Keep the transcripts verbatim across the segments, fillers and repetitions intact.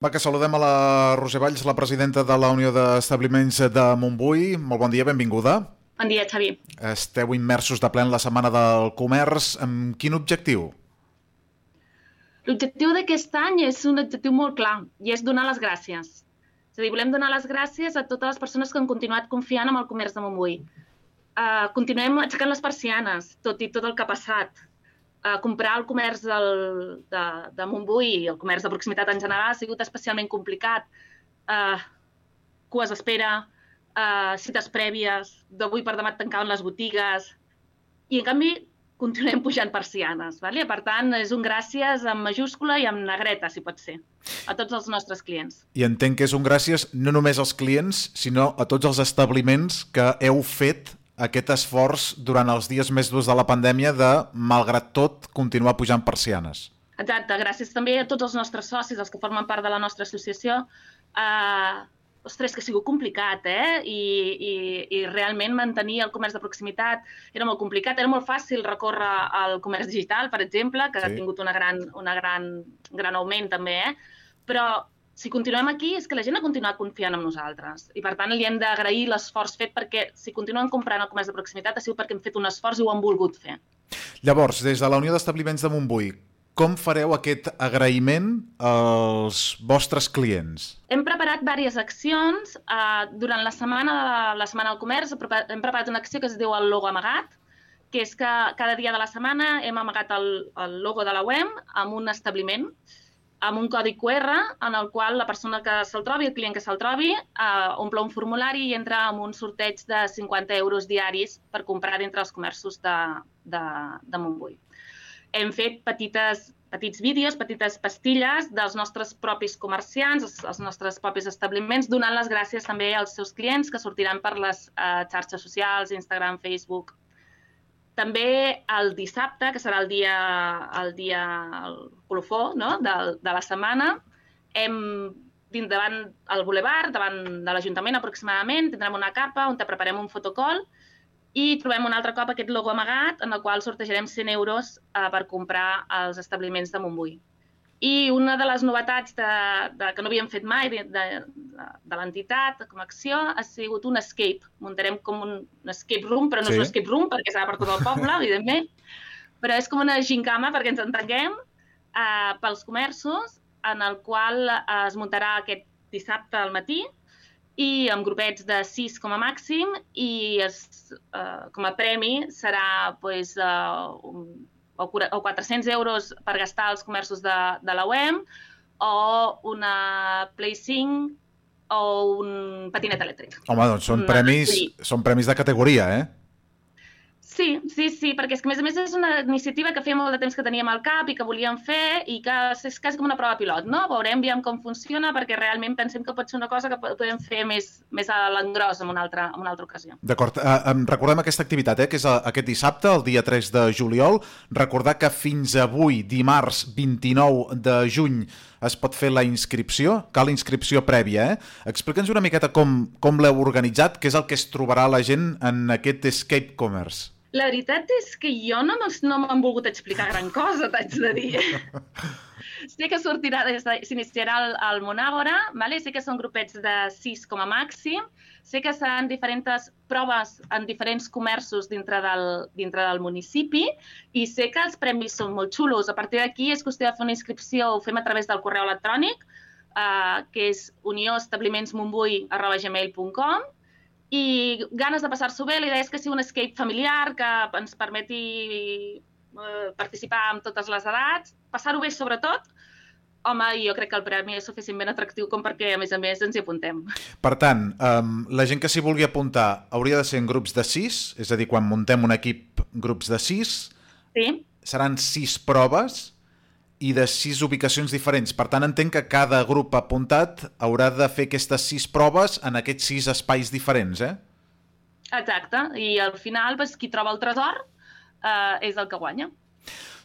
Va, que saludem a la Roser Valls, la presidenta de la Unió d'Establiments de Montbui. Molt bon dia, benvinguda. Bon dia, Xavi. Esteu immersos de ple en la Setmana del Comerç. Amb quin objectiu? L'objectiu d'aquest any és un objectiu molt clar, i és donar les gràcies. És a dir, volem donar les gràcies a totes les persones que han continuat confiant en el comerç de Montbui. Uh, continuem aixecant les persianes, tot i tot el que ha passat. Uh, comprar el comerç del, de, de Montbui i el comerç de proximitat en general ha sigut especialment complicat. Uh, cues d'espera, uh, cites prèvies, d'avui per demà tancaven les botigues, i en canvi continuem pujant persianes. Vale? Per tant, és un gràcies amb majúscula i amb negreta, si pot ser, a tots els nostres clients. I entenc que és un gràcies no només als clients, sinó a tots els establiments que heu fet aquest esforç durant els dies més durs de la pandèmia de, malgrat tot, continuar pujant persianes. Exacte, gràcies també a tots els nostres socis, els que formen part de la nostra associació. Uh, ostres, que ha sigut complicat, eh? I, i, i realment mantenir el comerç de proximitat era molt complicat. Era molt fàcil recórrer al comerç digital, per exemple, que sí. ha tingut una gran, una gran, gran augment també, eh? Però si continuem aquí és que la gent ha continuat confiant en nosaltres i per tant li hem d'agrair l'esforç fet perquè si continuen comprant el comerç de proximitat ha sigut perquè hem fet un esforç i ho han volgut fer. Llavors, des de la Unió d'Establiments de Montbui, com fareu aquest agraïment als vostres clients? Hem preparat diverses accions. Uh, durant la setmana, de la setmana del comerç hem preparat una acció que es diu el logo amagat, que és que cada dia de la setmana hem amagat el, el logo de la U E M amb un establiment, amb un codi cu erre en el qual la persona que se'l trobi, el client que se'l trobi, eh, omple un formulari i entra en un sorteig de cinquanta euros diaris per comprar dintre els comerços de, de, de Montbui. Hem fet petites, petits vídeos, petites pastilles dels nostres propis comerciants, els, els nostres propis establiments, donant les gràcies també als seus clients que sortiran per les eh, xarxes socials, Instagram, Facebook. També el dissabte, que serà el dia, el dia el colofó, no? de, de la setmana, hem, davant el bulevard, davant de l'Ajuntament aproximadament, tindrem una carpa on preparem un fotocall i trobem un altre cop aquest logo amagat en el qual sortejarem cent euros eh, per comprar als establiments de Montbui. I una de les novetats de, de, que no havíem fet mai de, de, de l'entitat com a acció ha sigut un escape. Muntarem com un, un escape room, però no sí. és un escape room perquè serà per tot el poble, evidentment, però és com una gincama perquè ens entenguem eh, pels comerços en el qual eh, es muntarà aquest dissabte al matí i amb grupets de sis com a màxim i es, eh, com a premi serà pues, eh, un o quatre-cents euros per gastar als comerços de, de la U E M o una Play cinc o un patinet elèctric. Home, doncs són, premis, són premis de categoria, eh? Sí, sí, sí, perquè és que a més a més és una iniciativa que feia molt de temps que teníem al cap i que volíem fer i que és quasi com una prova pilot, no? Veurem, veiem com funciona perquè realment pensem que pot ser una cosa que podem fer més, més a l'engròs en una altra, en una altra ocasió. D'acord, eh, recordem aquesta activitat, eh, que és aquest dissabte, el dia tres de juliol. Recordar que fins avui, dimarts vint-i-nou de juny, es pot fer la inscripció, cal inscripció prèvia, eh? Explica'ns una miqueta com, com l'heu organitzat, què és el que es trobarà la gent en aquest Escape Commerce. La veritat és que jo no m'han volgut explicar gran cosa, t'haig de dir. Sé que sortirà, s'iniciarà el, el Monàgora, vale? Sé que són grupets de sis com a màxim, sé que seran diferents proves en diferents comerços dintre del, dintre del municipi i sé que els premis són molt xulos. A partir d'aquí és qüestió de fer una inscripció, ho fem a través del correu electrònic, eh, que és unioestablimentsmontbui arroba gmail punt com. I ganes de passar-s'ho bé, la idea és que sigui un escape familiar que ens permeti eh, participar amb totes les edats, passar-ho bé sobretot. Home, jo crec que el premi és suficientment atractiu com perquè, a més a més, ens hi apuntem. Per tant, um, la gent que s'hi vulgui apuntar hauria de ser en grups de sis, és a dir, quan muntem un equip grups de sis, sí. Seran sis proves i de sis ubicacions diferents. Per tant, entenc que cada grup apuntat haurà de fer aquestes sis proves en aquests sis espais diferents, eh? Exacte. I al final, doncs, qui troba el tresor eh, és el que guanya.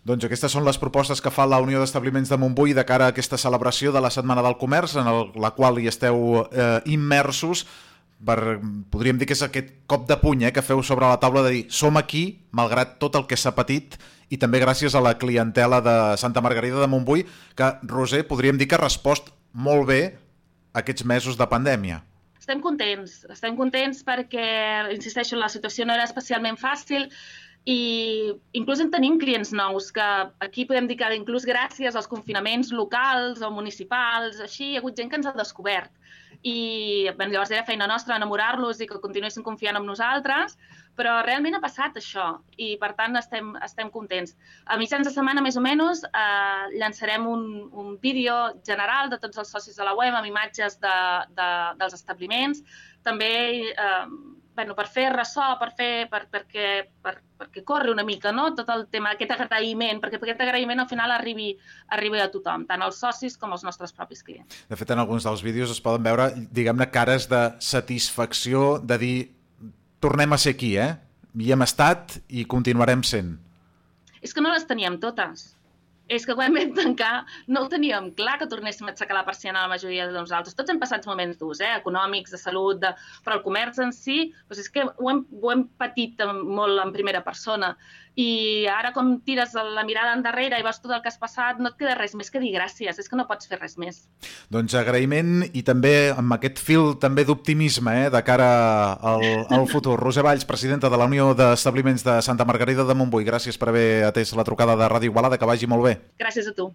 Doncs aquestes són les propostes que fa la Unió d'Establiments de Montbui de cara a aquesta celebració de la Setmana del Comerç, en el, la qual hi esteu eh, immersos. Per, podríem dir que és aquest cop de puny eh, que feu sobre la taula de dir som aquí, malgrat tot el que s'ha patit, i també gràcies a la clientela de Santa Margarida de Montbui, que, Roser, podríem dir que ha respost molt bé aquests mesos de pandèmia. Estem contents, estem contents perquè, insisteixo, la situació no era especialment fàcil i inclús en tenim clients nous que aquí podem dir que inclús gràcies als confinaments locals o municipals, així hi ha hagut gent que ens ha descobert. I bé, llavors era feina nostra enamorar-los i que continuessin confiant en nosaltres, però realment ha passat això i per tant estem, estem contents. A mitjans de setmana, més o menys, eh, llançarem un, un vídeo general de tots els socis de la web amb imatges de, de, dels establiments, també eh, bueno, per fer ressò, per fer, per, perquè, per, perquè corri una mica, no? Tot el tema, aquest agraïment, perquè aquest agraïment al final arribi, arribi a tothom, tant als socis com als nostres propis clients. De fet, en alguns dels vídeos es poden veure, diguem-ne, cares de satisfacció, de dir, tornem a ser aquí, eh? Hi hem estat i continuarem sent. És que no les teníem totes. És que quan vam tancar no ho teníem clar que tornéssim a aixecar la persiana a la majoria de nosaltres. Tots hem passat moments durs, eh? Econòmics, de salut, de... però el comerç en si, doncs és que ho hem, ho hem patit molt en primera persona. I ara com tires la mirada endarrere i veus tot el que has passat, no et queda res més que dir gràcies, és que no pots fer res més. Doncs agraïment i també amb aquest fil també d'optimisme eh, de cara al, al futur. Roser Valls, presidenta de la Unió d'Establiments de Santa Margarida de Montbui, gràcies per haver atès la trucada de Ràdio Igualada, que vagi molt bé. Gràcies a tu.